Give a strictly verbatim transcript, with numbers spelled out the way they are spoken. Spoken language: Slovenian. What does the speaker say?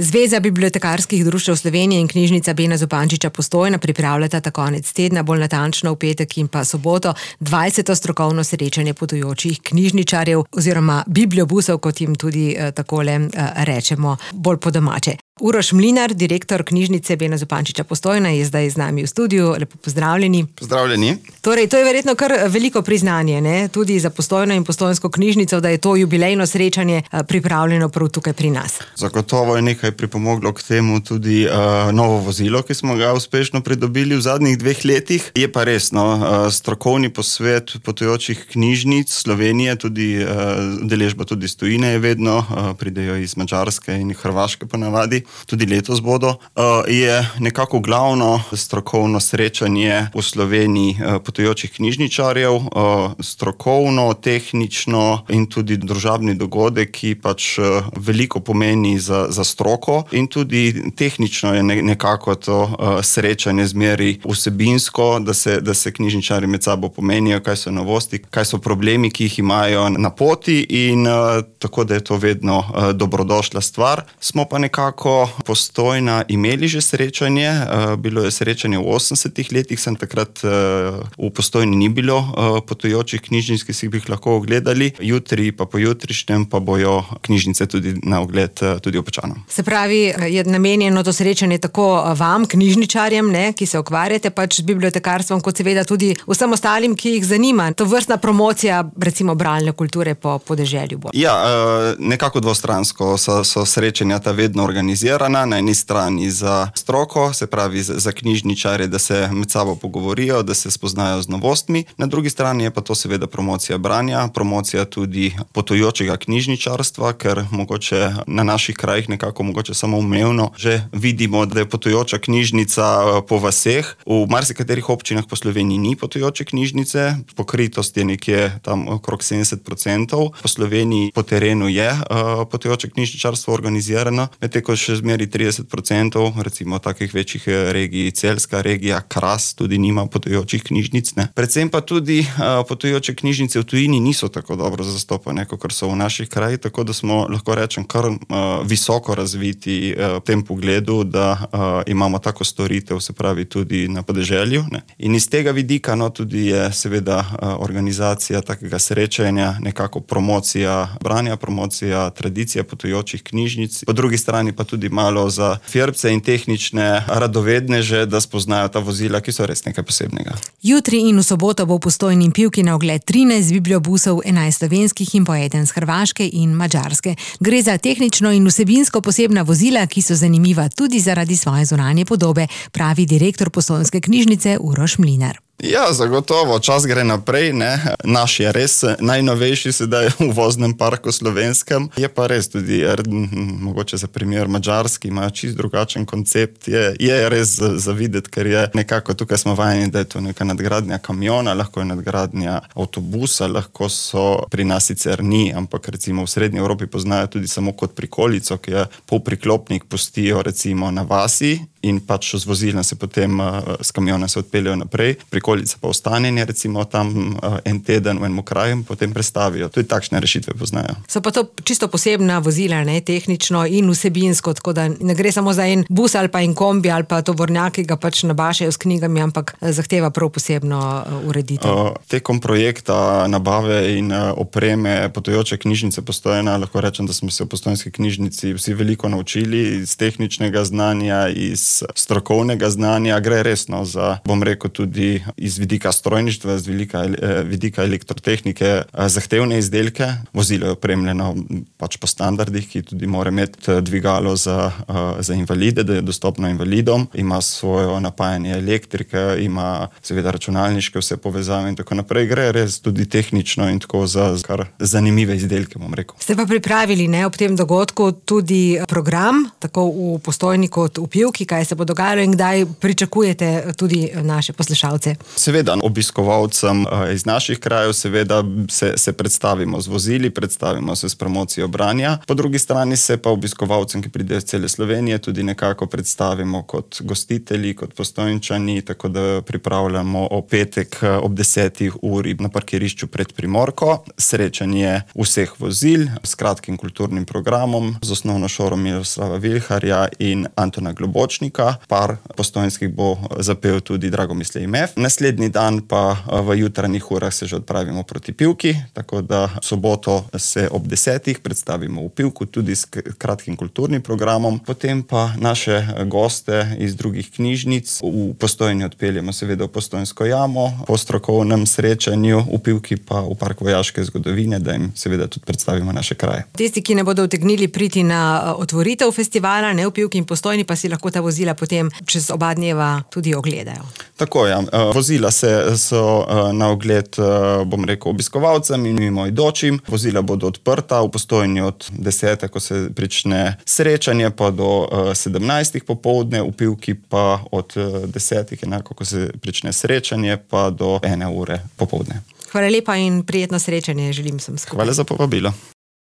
Zveza bibliotekarskih društev Slovenije in knjižnica Bena Zupančiča Postojna pripravljata ta konec tedna, bolj natančno v petek in pa soboto, dvajseto strokovno srečanje potujočih knjižničarjev oziroma bibliobusov, kot jim tudi eh, takole eh, rečemo, bolj po domače. Uroš Mlinar, direktor knjižnice Bena Zupančiča Postojna, je zdaj z nami v studiu. Lepo pozdravljeni. Pozdravljeni. Torej, to je verjetno kar veliko priznanje, ne? Tudi za Postojno in Postojnsko knjižnico, da je to jubilejno srečanje pripravljeno prav tukaj pri nas. Zagotovo je nekaj pripomoglo k temu tudi uh, novo vozilo, ki smo ga uspešno pridobili v zadnjih dveh letih. Je pa resno, uh, strokovni posvet potujočih knjižnic Slovenije, tudi uh, deležba tudi iz tujine je vedno, uh, pridejo iz Madžarske in Hrvaške ponavadi. Tudi letos bodo, je nekako glavno strokovno srečanje v Sloveniji potujočih knjižničarjev, strokovno, tehnično in tudi družabni dogodek, ki pač veliko pomeni za, za stroko, in tudi tehnično je nekako to srečanje zmeri vsebinsko, da se, da se knjižničari med sabo pomenijo, kaj so novosti, kaj so problemi, ki jih imajo na poti, in tako da je to vedno dobrodošla stvar. Smo pa nekako Postojna imeli že srečanje, bilo je srečanje v osemdesetih letih, sem takrat v Postojni ni bilo potujočih knjižnic, ki si bi jih lahko ogledali, jutri pa pojutrišnjem pa bojo knjižnice tudi na ogled tudi občanom. Se pravi, je namenjeno to srečanje tako vam, knjižničarjem, ne, ki se ukvarjate pač z bibliotekarstvom, kot seveda tudi vsem ostalim, ki jih zanima. To vrstna promocija, recimo bralne kulture po podeželju bo. Ja, nekako dvostransko so, so srečanja ta vedno organizirana. Na eni strani za stroko, se pravi za knjižničare, da se med sabo pogovorijo, da se spoznajo z novostmi. Na drugi strani je pa to seveda promocija branja, promocija tudi potujočega knjižničarstva, ker mogoče na naših krajih nekako mogoče samo umevno že vidimo, da je potujoča knjižnica po vaseh. V marsikaterih občinah po Sloveniji ni potujoče knjižnice, pokritost je nekje tam okrog sedemdeset procentov. Po Sloveniji po terenu je uh, potujoče knjižničarstvo organizirano, medtem ko še zmeri trideset procentov, recimo takih večjih regij, Celjska regija, Kras tudi nima potujočih knjižnic. Ne. Predvsem pa tudi uh, potujoče knjižnice v tujini niso tako dobro zastopane, kot so v naših krajih, tako da smo, lahko rečem, kar uh, visoko razviti uh, v tem pogledu, da uh, imamo tako storitev, se pravi tudi na podeželju. Ne. In iz tega vidika, no, tudi je seveda uh, organizacija takega srečanja, nekako promocija branja, promocija tradicija potujočih knjižnic, po drugi strani pa tudi malo za firbce in tehnične radovedneže, da spoznajo ta vozila, ki so res nekaj posebnega. Jutri in v soboto bo v Postojni in Pivki na ogled trinajst bibliobusov, enajst slovenskih in po eden z Hrvaške in Madžarske. Gre za tehnično in vsebinsko posebna vozila, ki so zanimiva tudi zaradi svoje zunanje podobe, pravi direktor Postojnske knjižnice Uroš Mlinar. Ja, zagotovo, čas gre naprej, ne. Naš je res najnovejši sedaj v voznem parku slovenskem. Je pa res tudi, mogoče za primer Madžarski, imajo čist drugačen koncept. Je, je res za videti, ker je nekako, tukaj smo vajeni, da je to neka nadgradnja kamiona, lahko je nadgradnja avtobusa, lahko so, pri nas sicer ni, ampak recimo v Srednji Evropi poznajo tudi samo kot prikolico, ki je polpriklopnik, pustijo recimo na vasi in pač z vozilom se potem s kamiona se odpeljajo naprej. Prikolica pa ostanjenje recimo tam en teden v enem kraju, potem prestavijo. Tudi takšne rešitve poznajo. So pa to čisto posebna vozila, ne, tehnično in vsebinsko, tako da ne gre samo za en bus ali pa en kombi ali pa tovornjak, ki ga pač nabašajo s knjigami, ampak zahteva prav posebno ureditev. Tekom projekta nabave in opreme potujoče knjižnice Postojna, lahko rečem, da smo se v Postojnski knjižnici vsi veliko naučili iz tehničnega znanja, iz strokovnega znanja. Gre resno za, bom rekel, tudi iz vidika strojništva, z vidika, vidika elektrotehnike, zahtevne izdelke. Vozilo je opremljeno pač po standardih, ki tudi mora imeti dvigalo za, za invalide, da je dostopno invalidom, ima svoje napajanje elektrike, ima seveda računalniške vse povezave in tako naprej. Gre res tudi tehnično in tako za kar zanimive izdelke, bom rekel. Ste pa pripravili, ne, ob tem dogodku tudi program, tako v Postojni kot v Pivki, kaj se bo dogajalo in kdaj pričakujete tudi naše poslušalce? Seveda, obiskovalcem iz naših krajev seveda se, se predstavimo z vozili, predstavimo se s promocijo branja. Po drugi strani se pa obiskovalcem, ki pridejo iz cele Slovenije, tudi nekako predstavimo kot gostitelji, kot Postojnčani, tako da pripravljamo o petek ob desetih uri na parkirišču pred Primorko srečanje vseh vozil s kratkim kulturnim programom, z osnovno šolo Miroslava Vilharja in Antona Globočnika. Par postojnskih bo zapel tudi Dragomislej Mef. Naslednji dan pa v jutranjih urah se že odpravimo proti Pivki, tako da v soboto se ob desetih predstavimo v Pivku tudi s kratkim kulturnim programom. Potem pa naše goste iz drugih knjižnic v Postojni odpeljemo seveda v Postojnsko jamo po strokovnem srečanju, v Pivki pa v Park vojaške zgodovine, da jim seveda tudi predstavimo naše kraje. Tisti, ki ne bodo utegnili priti na otvoritev festivala, ne v Pivki in Postojni, pa si lahko ta vozila potem čez oba dneva tudi ogledajo. Tako je. Ja. Vozila se so na ogled, bom rekel, obiskovalcem in mimoidočim. Vozila bodo odprta v Postojni od desete, ko se prične srečanje, pa do sedemnajstih popoldne, v Pivki pa od desetih, enako ko se prične srečanje, pa do ene ure popoldne. Hvala lepa in prijetno srečanje želim sem skupaj. Hvala za povabilo.